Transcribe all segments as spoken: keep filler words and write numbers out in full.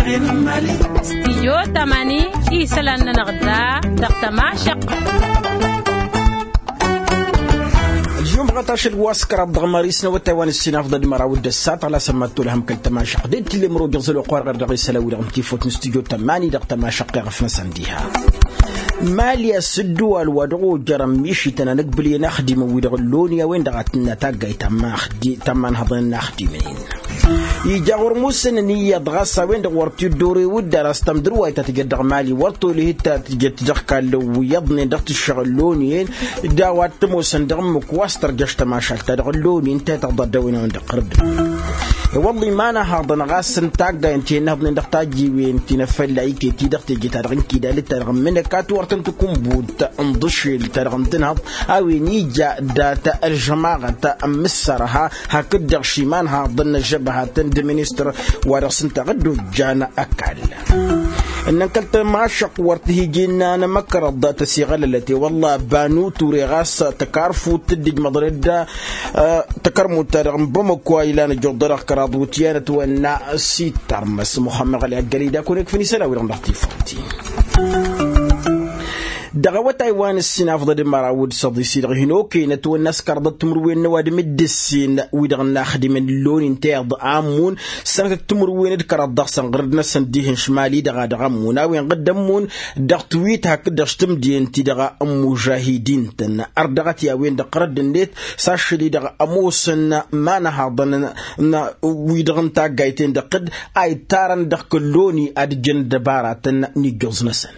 Stijyo tamani isălan-nănăɣ da dăɣ-tămašăqqa. Ălžumăɣăt ašăl wa s-kăraḍ dăɣ-mări s-năwătay wa n-ǝssinafḍăd măraw d-ăssat ɣlas ămmăttol hăm kăl-tămašăqqa d-tillem rogăẓ ălwăqq wa dăɣ-isălan wi-dăɣ n-tifot n-stijyo tamani dăɣ-tămašăqqa iɣăf-năsăn diha. Mali a-s ǝddǝwal wa dăɣ-ojărăn mišităn anăgbǝlǝyăn axdimăn wi-dăɣ ălloni a-wen-dăɣ a tǝnna taggayt ta n-manhăḍăn n-axdimăn-in. Ija ɣur-musǝnăn iyyăḍ ɣas a-wen-dăɣ wăr t-dd-ore wǝddan a-s tamdǝrwayt ta tǝjăt dăɣ-mali wăr tolăhit ta tǝjăt dăɣ-kallăw iyyăḍnen dăɣ-tǝššăɣ ălloniyăn. D-a-wa t-ămoosăn dăɣ-ǝmmǝk wa s-tărjăš tămašalt-ta-dăɣ ălloni ǝnta i-tăɣḍa dd-a-wen a-wen-dăɣ qărǝd. I-wălla iman-ăhaḍăn ɣas n-taggayăn ti ănnăhăḍnen dăɣ-tajjiwen ti n-afălla iket-i dăɣ-teje-ta-dăɣ n-kidal d-ta-dăɣ ǝmmǝnăk a tiwăr tăn-tǝkǝnbut n-iḍǝšel-ta-dăɣ n-tǝnhăḍ a-wen ija dat-ălžămaɣăt n-imǝssărha hakd-dăɣ šiman haḍăn n-ăžžăbăhatăn d-ministăr wa dăɣ-s ǝnta dd-ojjan ăkall. Ǝnnăn kăl-tămašăqq wăr t-hi-ija innă n-amăkrăḍ tăsiɣălălăt i-wălla banu ture ɣas tăkarfut tǝddǝjmăḍăn-dd tăkărmut-ta-dăɣ n-bamăko a ilan ăjjuḍ-dăɣ kăraḍ wutyan ătwănna s-ittărmăs muxămmăɣ ălyaggălăy d-akun ikfăn isălan-wi-dăɣ n-dăɣ-tifăwt. Dăɣ-awătay wa n-ǝssin afḍăd măraw d-săḍis-i-dăɣ hin-okăyăn ătwănna s-kăraḍăt timǝrwen n-ăwadǝm d-ǝssin wi-dăɣ n-inaxdimăn ǝlloni n-tiḍ a ămmun sănătăt timǝrwen d-kăraḍ dăɣ-săn ɣǝrǝd-năsăn dihen šmal-i-dăɣ a dăɣ-ămmun a-wen ɣǝdd ămmun dăɣ-tiwit hakd-dăɣ s-tǝmdǝyăn-ti-dăɣ n-imužahidin-tăn. Ărdăɣăt i-a-wen-dăɣ ɣărădd-net s-ašăl-i-dăɣ ămoosăn imanăhaḍăn n-wi-dăɣ n-taggayt-en-dăɣ d-a ittarăn dăɣ-kălloni ad-ǝjjăn ăddăbaratăn n-ijjuẓ-năsăn.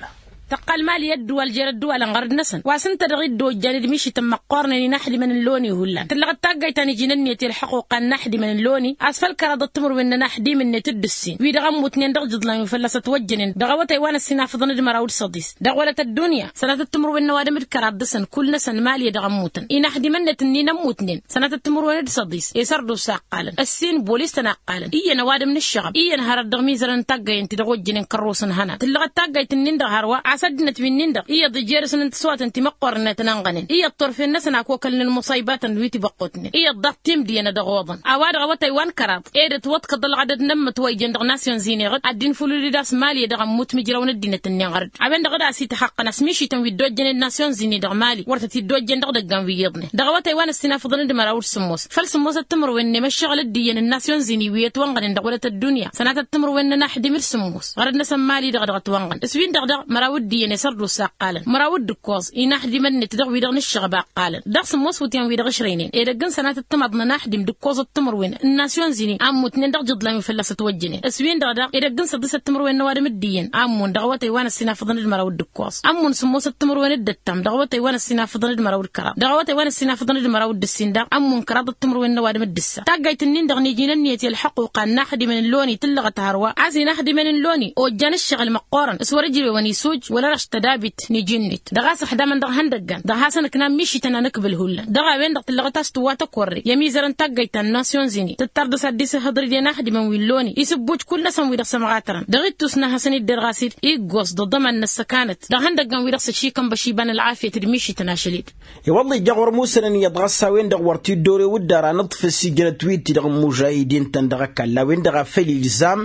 Tăqqal mali i-ăddǝwal jer-ăddǝwalăn ɣărăd-năsăn wa s-ǝnta-dăɣ dd-ojjan d-mišităn măqqoornen inaxdimăn n-loni hullan tǝllăɣ d-taggayt ta n-iji n-ǝnniyăt i-ălxăquqa n-inaxdimăn n-loni a-s făll-kăraḍăt timǝrwen n-inaxdim-net d-ǝssin wi-dăɣ ămmutnen dăɣ-ijiḍlan wi fălla-s ătwăjjănen dăɣ-awătay wa n-ăssinafăḍăn d-măraw d-săḍis dăɣ-wălăt ăddunya. Sănatăt timǝrwen n-ăwadǝm d-kăraḍ dăɣ-săn kull-năsăn mali dăɣ-ămmutăn inaxdimăn-net ǝnnin ămmutnen sănatăt timǝrwen d-săḍis i-sărdusa ǝqqalăn ǝssin bolis-tăn a ǝqqalăn iyyăn ăwadǝm n-ǝššăɣăb iyyăn hărăt dăɣ-imizărăn n-taggayăn-ti-dăɣ ojjănen kărrusăn hănan tǝllăɣăt taggayt-ǝnnin-dăɣ hărwa a-s ăddinăt wi-nin-dăɣ iyyăḍ ijer-săn n-tiswatăn ti măqqoorăn a tăn-ănɣănen iyyăḍ turfen-năsăn a kokălnen muṣaybatăn wi tibăqqutnen iyyăḍ daɣ timdǝyăn a dăɣ-oḍăn. A-wa-dăɣ awătay wa n-kăraḍ ed ătwăḍkăḍ ălɣădăd n-ămmăt wa ijăn dăɣ-nasyon-zini ɣǝd ad-dd-infulǝl-dd a-s mali dăɣ-ămmut mijraw n-ăddinăt-ǝnnin ɣărăd a-wen-dăɣ dd-asităxăqqăn a-s mišităn wi dd-ojjănen nasyon-zini dăɣ-mali wăr tăt-dd-ojjăn dăɣ-idăggan wi iyyăḍnen dăɣ-awătay wa n-ăssinafăḍăn d-măraw d-sǝmmos făll-sǝmmosăt timǝrwen n-emăššăɣǝl d-iyyăn n-nasyon-zini wi ătwănɣănen dăɣ-wălăt ăddunya sănatăt timǝrwen n-inaxdim d-sǝmmos ɣărăd-năsăn mali-dăɣ dăɣ-ătwănɣăn s-win-dăɣ daɣ măraw d-iyyăn i-sărdusa ǝqqalăn măraw d-ǝkkoẓ inaxdimăn-net dăɣ-wi-dăɣ n-ǝššăɣăb a ǝqqalăn dăɣ-sǝmmos wǝtyan wi-dăɣ ǝšrăynen edăgg n-sănatăt timaḍ n-inaxdim d-ǝkkoẓăt timǝrwen n-nasyon-zini a ǝmmutnen dăɣ-ijiḍlan wi fălla-s ătwăjjănen s-win-dăɣ daɣ edăgg n-săḍisăt timǝrwen n-ăwadǝm d-iyyăn a ǝmmun dăɣ-awătay wa n-ăssinafăḍăn d-măraw d-ǝkkoẓ ǝmmun sǝmmosăt timǝrwen d-ǝttam dăɣ-awătay wa n-ăssinafăḍăn d-măraw d-kăraḍ dăɣ-awătay wa n-ăssinafăḍăn d-măraw d-ǝssin daɣ ǝmmun kăraḍăt timǝrwen n-ăwadǝm d-ǝssa taggayt-nin-dăɣ n-iji n-ǝnniyăt i-ălḥăquqa n-inaxdimăn n-loni tǝllăɣăt hărwa a-s inaxdimăn n-loni ojjan ǝššăɣǝl măqqoorăn s-wăr-ǝjrewăn isuj wăla dăɣ-s tădabit n-iji-net dăɣ-a-s ăxdamăn dăɣ-ihăndăggan dăɣ-hasăn-ǝknan mišităn anǝkbǝl hullan dăɣ-a-wen-dăɣ tǝllăɣăt a-s tǝwwa tăkorre i-ămizărăn taggayt ta n-nasyon-zini tǝttar dăɣ-s ad-dd-isǝhhǝḍrǝd i-inaxdimăn wi n-loni isǝbbuj kull-năsăn wi-dăɣ sămɣatărăn dăɣ-ittus n-ad-hasăn-idder ɣas-dd iggoẓ d-aḍăman n-ăssăkanăt dăɣ-ihăndăggan wi-dăɣ s-ăšikăn băšibăn ălɣafyăt d-mišităn ašăl-dd. I-wălla ija ɣur-musănăn iyyăḍ ɣas a-wen-dăɣ wăr t-dd-ore wǝddan anǝḍfǝs ijrăt wi-ti-dăɣ n-imužahidin-tăn dăɣ-ăkall a-wen-dăɣ a făl ilzam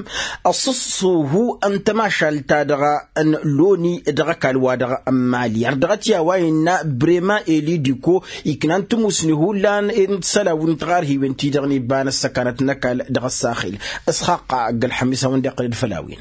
ăṣṣăṣṣuhu n-tămašalt-ta-dăɣ n-loni dăɣ-ăkall-wa-dăɣ n-mali ărdăɣăt i-a-wa innă brema elidiko iknan timusni hullan n-isălan wi n-tiɣarhiwen-ti-dăɣ n-iba n-ăssăkanăt n-ăkall dăɣ-ăssaxil. Isxaqqa ăgg-ălxămis a-wen-dăɣ iqqăl-dd făll-a-wen.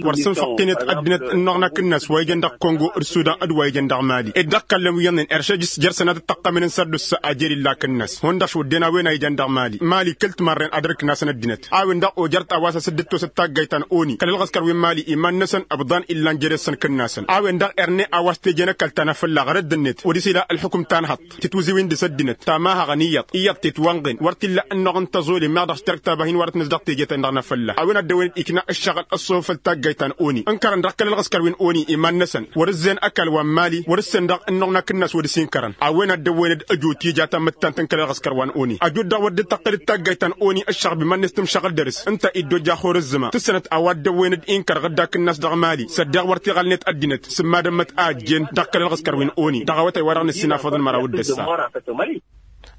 Wăr sǝnfăqqin-et ăddinăt ǝnnoɣna akǝnnas wa ijăn dăɣ-kongo d-sudan d-wa ijăn dăɣ-mali ed dăɣ-kallăn wi iyyăḍnen eršăj s-jer-sănatăt tăqqămen n-sărdus a jer-illa akǝnnas hundăɣ šwădden a-wen a ijăn dăɣ-mali mali kăl-timarren ad-ărkǝnasăn ăddinăt a-wen-dăɣ ojăr-t a-wa s-asǝddǝt tosăt taggayt ta n-oni kăl-ălɣăskăr wi n-mali iman-năsăn ǝbḍan illan jer-esăn kǝnnasăn a-wen-dăɣ erne a-wa s-teje n-ăkall ta n-afălla ɣărădd-net wăr-isila ălxukǝm ta n-hăṭṭ titwǝziwen dăɣ-s ăddinăt ta ma haɣăn iyyăḍ iyyăḍ tetwanɣen wăr t-illa ǝnnoɣ n-tăẓole meɣ dăɣ-s terk ta bahǝyăn wăr-ătnăs dăɣ-teje-ten-dăɣ n-afălla a-wen ad-dăwănăd ikna ǝššăɣǝl ăṣṣofăl taggayt ta n-oni ǝnkărăn dăɣ-kăl-ălɣăskăr wi n-oni iman-năsăn wăr-ǝzzeyăn ăkall wa n-mali wăr-ǝssen dăɣ-ǝnnuɣ n-akǝnnas wăr-dăɣ-s inkărăn a-wen ad-dăwănăd ăjo tija ta n-imǝttant n-kăl-ălɣăskăr wa n-oni ăjut-dăɣ wăr dd-tăqqǝl d-taggayt ta n-oni ǝššăɣb iman-net tǝmšăɣǝl dăr-s ǝnta iddojja xur ǝzzǝma tǝssănăt a-wa dd-ăwwăynăd inkăr ɣǝdda akǝnnas dăɣ-mali s-ăddeɣ wăr t-iɣălnet ăddinăt s-ǝmmadămmăt a ăjjeen dăɣ-kăl-ălɣăskăr wi n-oni dăɣ-awătay wa dăɣ-nǝssinafăḍăn măraw d-ăssa.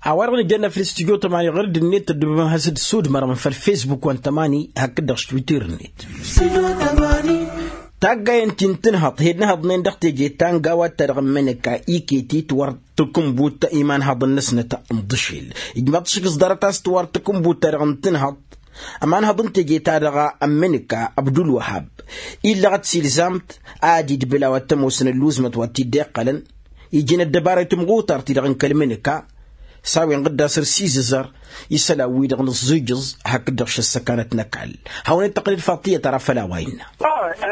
A-wa-dăɣ nǝjănna făll-studyo tămani ɣur-dd-net tăddǝbăm has-dd-sudmărăm făll-facebook wa n-tămani hakd-dăɣ s-twitter-net. Taggayen ti n-tǝnhăḍt hed n-ehăḍnen dăɣ-teje ta n-gawa-ta-dăɣ n-imǝnǝka iket-it wăr tǝkǝnbut imanhăḍăn-năsnăt n-iḍǝšel. Ijmaḍ-t šik s-ḍarăt a-s tiwar tǝkǝnbut-ta-dăɣ n-tǝnhăḍt ămanhăḍ n-teje-ta-dăɣ n-imǝnǝka abdulwăhab illăɣăt s-ilzam-t ad-idbǝl a-wa t-ămoosăn ălluzmăt wa t-dd-iqqălăn iji n-ăddăbara i-timɣutar-ti-dăɣ n-kăl-imǝnǝka. S-a-wen ɣǝdda săr-sizǝzăr isălan-wi-dăɣ nǝẓẓijǝẓ hakd-dăɣ šăssăkanăt n-ăkall. Hawăn-dd-tăqqǝlăd faḍt iyyăt ara făll-a-wa innă.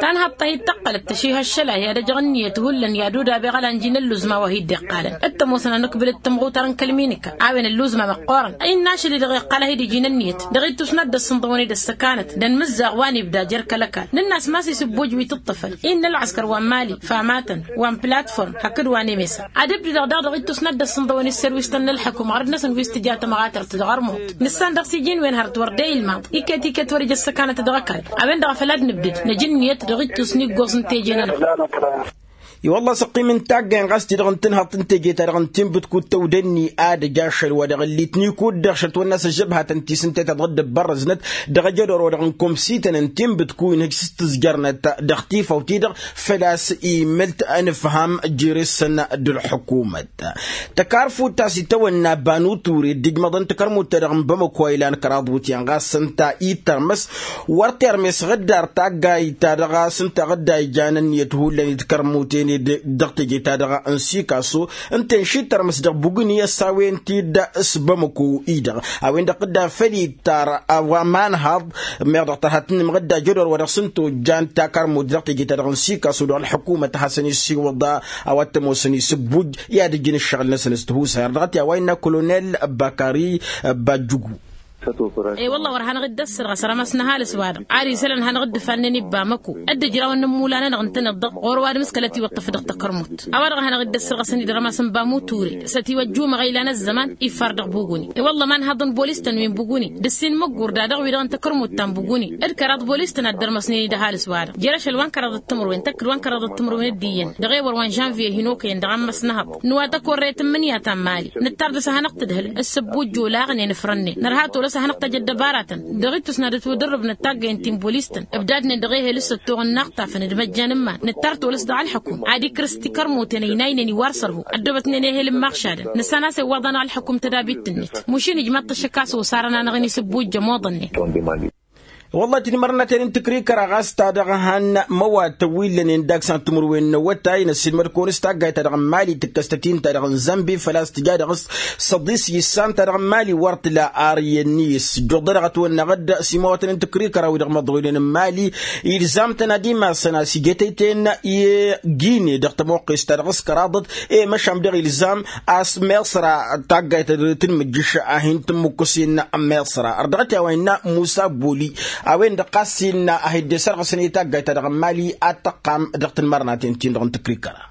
Tanhăḍt-ahi d-tăqqălăt tăšihăššăl-ahi i-ad-ăjăɣ ǝnniyăt hullan i-ad-udabeɣ ălanji n-ălluzma wa hi-dd-iqqalăn d-tămoosăn ad-nǝkbǝl d-timɣutar n-kăl-imǝnǝka. A-wen ălluzma măqqoorăn. Innă ašăl-i-dăɣ iqqal-ahi d-iji n-ǝnniyăt dăɣ-ittus n-ad-dd-ăssǝnḍăwăn d-ăssăkanăt d-ănmǝzzaɣ wa n-ibda jer-kăl-ăkall nǝnn'-as ma-s isǝbbuj wi tǝṭṭǝfăn. Innă ălɣăskăr wa n-mali famatăn wa n-platform hakd wa n-emesa ad-ǝbdǝdăɣ daɣ dăɣ-ittus n-ad-dd-ăssǝnḍăwăn isserwisăn n-ălxăkum ɣărăt-năsăn wi s-tǝja tămɣatărt dăɣ-ărmuḍ. Nǝssan dăɣ-s iji n-wen hărăt wăr dd-e-ilmaḍ iket-iket wăr-ija ăssăkanăt dăɣ-ăkall. A-wen-dăɣ a făl ad-nǝbdǝd năj ǝnniyăt dăɣ-ittus n-iggoẓ n-teje-nănăɣ. I-wălla-s ăqqim n-taggayen ɣas ti-dăɣ n-tǝnhăḍt n-teje-ta-dăɣ n-tinbǝtkut tăwdănni ad-ăj ašăl wa dăɣ-ǝllit n-ikud dăɣ-šăt wănna s-ăžžăbhatăn ti s-ǝnta i-ta-dăɣ dd-ăbbărrăznăt dăɣ-ajădor wa dăɣ-n komsităn n-tinbǝtku inhǝj s-tǝzjărnăt dăɣ-tifawt-i-dăɣ. Făl-a-s imăl-t ănǝfham jere-săn d-ălḥukumăt. Tăkarfut ta s-itawănna banu ture dd-ijmăḍăn takărmut-ta-dăɣ n-bamăko a ilan kăraḍ wutyan ɣas ǝnta ittărmăs wăr termes ɣǝddar taggayt-ta-dăɣ a-s ǝnta ɣǝdda ijanăn i-ad-hullan d-takărmuten-dd dăɣ-teje-ta-dăɣ n-sikaso ǝnta-en šitărmăs dăɣ-bugǝni ăssawen-t-dd s-bamăko-i-dăɣ. A-wen-dăɣ ɣǝdda făll-ittar a-wa manhaḍ meɣ dăɣ-tărha tǝnnǝm ɣǝdda jădor wa dăɣ-s ǝnta ojjan takărmut dăɣ-teje-ta-dăɣ n-sikaso dăɣ-ălḥukumăt a hasăn-isiwǝḍ a-wa t-ămoosăn isǝbbuj i-ad-ǝjǝn ǝššăɣǝl-năsăn s-tihusay ărdăɣăt i-a-wa innă kolonel bakari bajjugu. E-wălla wăr hanăɣ-dd-ăssăr ɣas rămas n-ăhalǝs-wa-dăɣ ad-isălan hanăɣ-dd-ǝfannen i-bamăko dd-ǝjrawăn n-ămmulan-nănăɣ ǝntăneḍ-dăɣ ɣur-ăwadǝm s-kăla ătiwăṭṭăf dăɣ-takărmut. A-wa-dăɣ a hanăɣ-dd-ăssăr ɣas ănidărămas n-bamu ture s-ătiwăjjumăɣ ilan ăzzăman iffar dăɣ-buguni. I-wălla ma n-haḍăn bolis-tăn wi n-buguni d-ǝssin măggor da-dăɣ wi-dăɣ n-takărmut ta n-buguni d-kăraḍ bolis-tăn ad-dărmăsnen-dd ăhalǝs-wa-dăɣ jer-ašăl wa n-kăraḍăt timǝrwen tăkk d-wa n-kăraḍăt timǝrwen d-iyyăn dăɣ-ewăr wa n-žănviye hin-okăyăn dăɣ-ammas n-ehăḍ n-wa tăkorrăyăt n-imǝnǝya ta n-mali. Nǝttar dăɣ-s ad-hanăɣ-tǝdhǝl s-ǝbbujj olaɣnen ǝfrănnen nărha tolăs ad-hanăɣ-tăj ăddăbaratăn dăɣ-ittus n-ad-ătwǝdărrǝb n-ăttaggăyăn ti n-bolis-tăn ǝbdadnen dăɣ-ehel s-ăttoɣ n-inaɣtafăn d-imăjjan n-iman nǝttar tolăs dăɣ-ălḥăkum ad-ikrǝs tikărmuten ăynaynen iwar sărhu ăddobătnen ehel n-imaɣšadăn nǝssan a-s iwwaḍ-anăɣ ălḥăkum tădabit-net. Mušin ijmaḍ-t ăššăk a-s osarăn-anăɣ-in isǝbbujj ămoḍănnen. Wălla-hi tinmărnaten n-tǝkrikăra ɣas ta dăɣ-han măwatăn wi ǝllănen daks n-timǝrwen n-awătay năssiilmăd-kăwăn s-taggayt-ta-dăɣ n-mali tǝkkăs-tăt-in ta dăɣ-n zănbi făl-a-s tǝja dăɣ-s săḍis yǝssan ta dăɣ-n mali wăr tǝla ar iyyăn-ni s-ǝjjuḍăd dăɣ-ătwănna ɣǝd s-imawatăn n-tǝkrikăra wi-dăɣ măḍroynen n-mali. Ilzam-tăn ad-imasăn a-s ijătăy-ten i-gine dăɣ-tămoqqes ta dăɣ-s kăraḍăt i-măšan dăɣ-ilzam a-s meṣra taggayt tǝnmǝjjǝš a hin-tǝmmǝkkǝsin meṣra ărdăɣăt i-a-wa innă musa boli. A-wen-dăɣ ɣas innă a hi-dd-esărɣǝsăn i-taggayt ta dăɣ-n mali ad-tăqqam dăɣ-tinmărnaten-tin-dăɣ n-tǝkrikăra.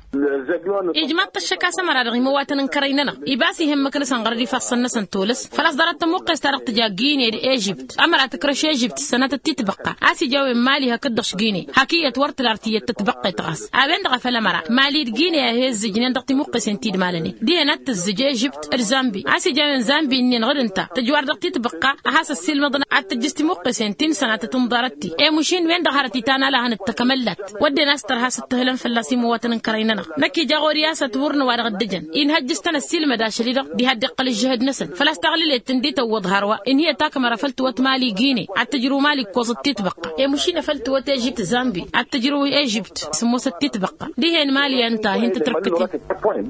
Ijmaḍ-t ăššăk a-s ămăra dăɣ-imăwatăn n-kărăy-nănăɣ ibas ihămmăk nǝsăn ɣărăd ifassăn-năsăn tolăs făl-a-s ḍarăt tămuqqest-ta-dăɣ tǝja gine d-ežibt ămăra tǝkrăš ežibt s-sănatăt titbăqqa a-s ija a-wen mali hakd-dăɣ s-gine hak iyyăt wăr tǝla ar tiyyăt tătbăqqet ɣas. A-wen-dăɣ a făl ămăra mali d-gine a he-ǝzzǝjnen dăɣ-timuqqesen ti d-malănen dihen ad-tǝzzǝj ežibt d-zambi a-s ija a-wen zambi ǝnnin ɣǝd ǝnta tǝjwar dăɣ-titbăqqa a has-ăssiilmăḍăn ad-tǝjjǝs timuqqesen ti n-sănatăt n-ḍarăt-ti. Emušin-wen-dăɣ hărăt itan alahăn d-takămăllat wădden a-s tărha s-ǝttǝhǝlăn fălla-s imăwatăn n-kărăy-nănăɣ năkk ija ɣur-i a-s ătwǝrnǝw-wa-dăɣ dd-ǝjăn inhăjj s-tăn-ăssiilmăd ašăl-i-dăɣ diha dd-iqqăl ǝžžǝhǝd-năsăn făl-a-s taɣlǝlet tǝndi tăwwăḍ hărwa ǝnhǝyăt akmăra făl tǝwăt mali gine ad-tǝjrǝw mali ǝkkoẓăt titbăqqa emušin a făl tǝwăt ežibt zambi ad-tǝjrǝw ežibt sǝmmosăt titbăqqa dihen mali ǝnta a hin-tǝtrǝkkǝt-in.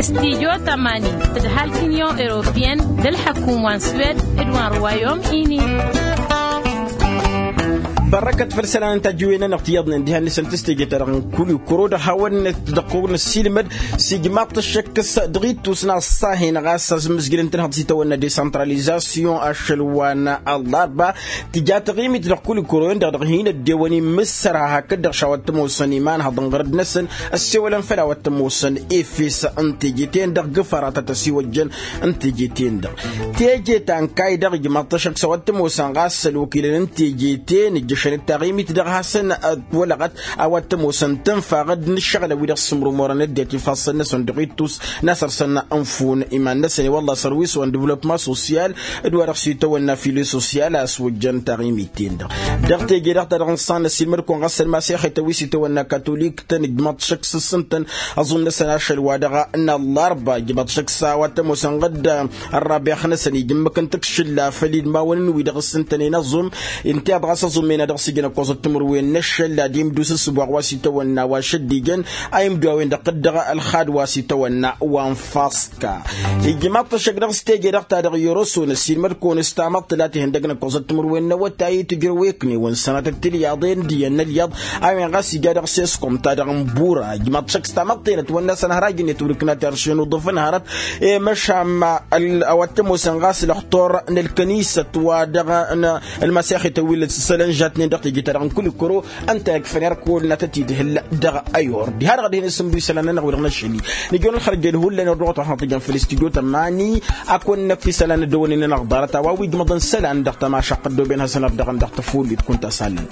Studyo tămani tǝdhal t-inyon europeyăn d-ălḥăkum wa n-swed d-wa n-rwayom-ini. Bărrăkăt făll-isălan n-tajǝwen-nănăɣ tiyyăḍnen diha n-nǝsăn tǝstejăt-ta-dăɣ n-kulikuro dăɣ-hawăn-net dăɣ-kăwăn-năssiilmăd s-ijmaḍ-t ăššăk s-dăɣ-ittus n-aṣṣahen ɣas a-s ǝmmǝzjǝlăn tǝnhăḍ s-itawănna desantralizasyon ašăl wa n-ăllarba. Tǝja taɣimit dăɣ-kulikuro-en-dăɣ dăɣ-hin-ăddewăn imǝssărha hakd-dăɣ šawăt tămoosăn imanhăḍ n-ɣărăd-năsăn ăssewălăn făll-a-wăt tămoosăn efes n-teje-ten-dăɣ gǝfara ta tăsiwăjjăn n-teje-ten-dăɣ. Teje ta n-kayy-dăɣ ijmaḍ-t ăššăk s-a-wăt tămoosăn ɣas ălwăkilăn n-teje-ten ǝjjǝš Šănăt taɣimit dăɣ-hasăn-ătwălăɣăt a-wa t-ămoosăn tǝnfa ɣǝd n-ǝššăɣǝlăn wi dăɣ-sǝmrǝmorăn ăddinăt ifassăn-năsăn dăɣ-ittus n-asărsăn n-fun iman-năsăn i-wălla sărwiis wa n-dăvlopma sosyal d-wa dăɣ-s itawănna file sosyal a ăswăjjăn taɣimit-ten-dăɣ. Dăɣ-teje-dăɣ ta dăɣ-nǝṣṣan ăssiilmăd-kăwăn ɣas ălmasex itawǝy s-itawănna katolik-tăn ǝjmăḍ šăkk s-ǝssǝntăn aẓum-năsăn ašăl wa dăɣ-năllarba ǝjmăḍ šăkk s-a-wa t-ămoosăn ɣǝd ărrabex-năsăn ija ǝmmǝk n-tǝkšǝlla făll-idmawăn-in-wi-dăɣ ǝssǝntănen aẓum. Intiḍ ɣas aẓum-en a dăɣ-s ijăn ăkkoẓăt timǝrwen n-ašăl ad-imdus ǝssǝboɣ wa s-itawănna wa šăddijăn a imdu a-wen-dăɣ tǝddăɣ ălxad wa s-itawănna wa n-faska. Ijmaḍ-t ăššăk dăɣ-s teje-dăɣ ta dăɣ-i oroson ăssiilmăd-kăwăn s-tamăḍt la tihăndăg n-ăkkoẓăt timǝrwen n-awătay tǝjrăw eknen wa n-sănatăt tilyaḍen d-iyyăn n-ălyaḍ a-wen ɣas ija dăɣ-seskom ta dăɣ-n bura ijmaḍ šăkk s-tamăḍt-enăt wănna s-ănhăr a ijǝnnet wăr-ǝknat iršen uḍǝf ănhărăt. I-măšan a-wa t-ămoosăn ɣas lăxtor n-ălkănisăt wa dăɣ-n ălmasexităn wi lăssălăn žatnen dăɣ-teje-ta-dăɣ n-kulikuro. Ǝnta ikfăn irkul n-ad-tăt-idhǝl dăɣ-ayor diha-dăɣ ad-hin-asǝmdu isălan-nănăɣ wi-dăɣ n-ašăl-i. Nǝjăwăn ălxărjăl hullan irduɣăt wa hanăt-ijăn făll-studyo tămani. Ad-kăwăn-năkf isălan ăddăwănen-nănăɣ ḍarăt a-wa wi ǝjmăḍăn isălan dăɣ-tămašaqq ăddooben hasăn-ărdăɣăn dăɣ-tăfullit kunta s-alăn.